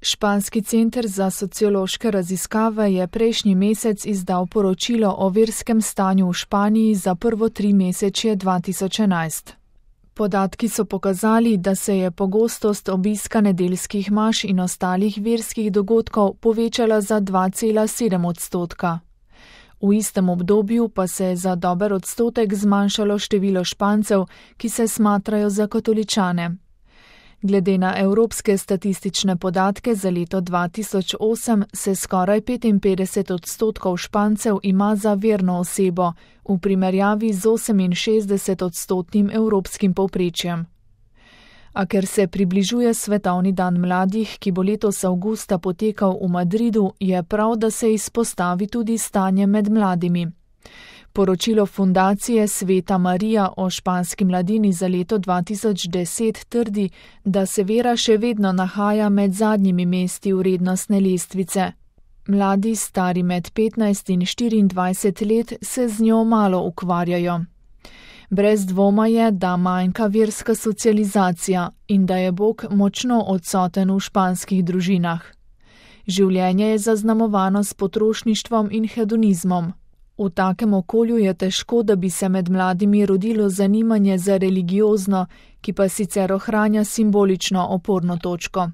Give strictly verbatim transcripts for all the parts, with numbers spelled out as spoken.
Španski center za sociološke raziskave je prejšnji mesec izdal poročilo o verskem stanju v Španiji za prvo trimesečje dva tisoč enajst. Podatki so pokazali, da se je pogostost obiska nedeljskih maš in ostalih verskih dogodkov povečala za dva cela sedem odstotka. V istem obdobju pa se je za dober odstotek zmanjšalo število Špancev, ki se smatrajo za katoličane. Glede na evropske statistične podatke za leto dva tisoč osem se skoraj petinpetdeset odstotkov Špancev ima za verno osebo, v primerjavi z oseminšestdeset odstotnim evropskim povprečjem. A ker se približuje svetovni dan mladih, ki bo letos avgusta potekal v Madridu, je prav, da se izpostavi tudi stanje med mladimi. Poročilo fundacije Sveta Marija o španski mladini za leto dva tisoč deset trdi, da se vera še vedno nahaja med zadnjimi mesti vrednostne lestvice. Mladi, stari med petnajst in štiriindvajset let, se z njo malo ukvarjajo. Brez dvoma je, da manjka verska socializacija in da je Bog močno odsoten v španskih družinah. Življenje je zaznamovano s potrošništvom in hedonizmom. V takem okolju je težko, da bi se med mladimi rodilo zanimanje za religiozno, ki pa sicer ohranja simbolično oporno točko.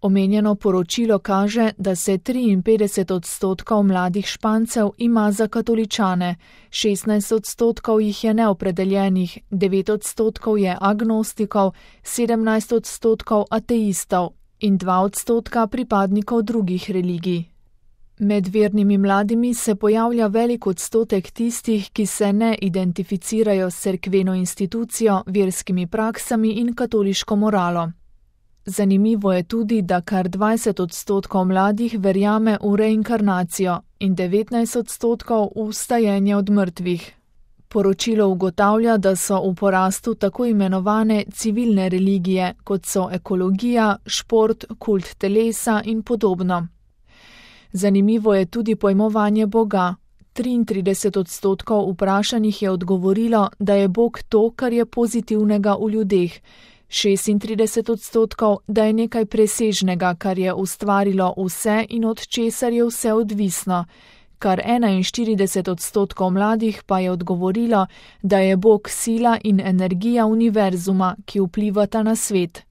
Omenjeno poročilo kaže, da se triinpetdeset odstotkov mladih Špancev ima za katoličane, šestnajst odstotkov jih je neopredeljenih, devet odstotkov je agnostikov, sedemnajst odstotkov ateistov in dva odstotka pripadnikov drugih religij. Med vernimi mladimi se pojavlja velik odstotek tistih, ki se ne identificirajo s cerkveno institucijo, verskimi praksami in katoliško moralo. Zanimivo je tudi, da kar dvajset odstotkov mladih verjame v reinkarnacijo in devetnajst odstotkov v vstajenje od mrtvih. Poročilo ugotavlja, da so v porastu tako imenovane civilne religije, kot so ekologija, šport, kult telesa in podobno. Zanimivo je tudi pojmovanje Boga. triintrideset odstotkov vprašanih je odgovorilo, da je Bog to, kar je pozitivnega v ljudeh, šestintrideset odstotkov, da je nekaj presežnega, kar je ustvarilo vse in od česar je vse odvisno, kar enainštirideset odstotkov mladih pa je odgovorilo, da je Bog sila in energija univerzuma, ki vplivata na svet.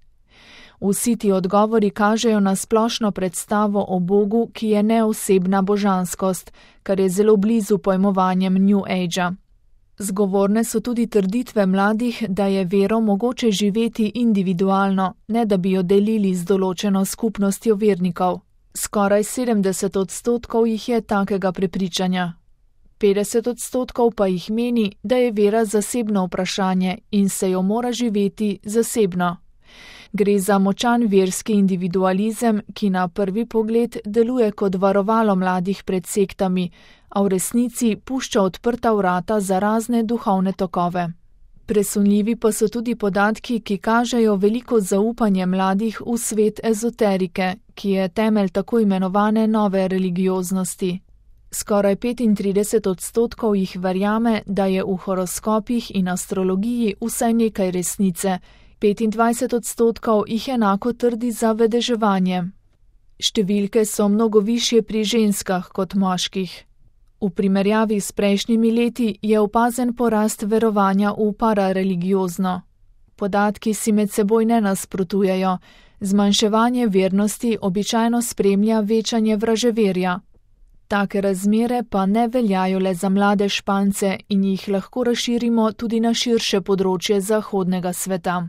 Vsi ti odgovori kažejo na splošno predstavo o Bogu, ki je neosebna božanskost, kar je zelo blizu pojmovanjem New Agea. Zgovorne so tudi trditve mladih, da je vero mogoče živeti individualno, ne da bi jo delili z določeno skupnostjo vernikov. Skoraj sedemdeset odstotkov jih je takega prepričanja. petdeset odstotkov pa jih meni, da je vera zasebno vprašanje in se jo mora živeti zasebno. Gre za močan verski individualizem, ki na prvi pogled deluje kot varovalo mladih pred sektami, a v resnici pušča odprta vrata za razne duhovne tokove. Presunljivi pa so tudi podatki, ki kažejo veliko zaupanje mladih v svet ezoterike, ki je temelj tako imenovane nove religioznosti. Skoraj petintrideset odstotkov jih verjame, da je v horoskopih in astrologiji vsaj nekaj resnice, petindvajset odstotkov jih enako trdi za vedeževanje. Številke so mnogo višje pri ženskah kot moških. V primerjavi s prejšnjimi leti je opazen porast verovanja v parareligiozno. Podatki si med seboj ne nasprotujejo, zmanjševanje vernosti običajno spremlja večanje vraževerja. Take razmere pa ne veljajo le za mlade Špance in jih lahko razširimo tudi na širše področje zahodnega sveta.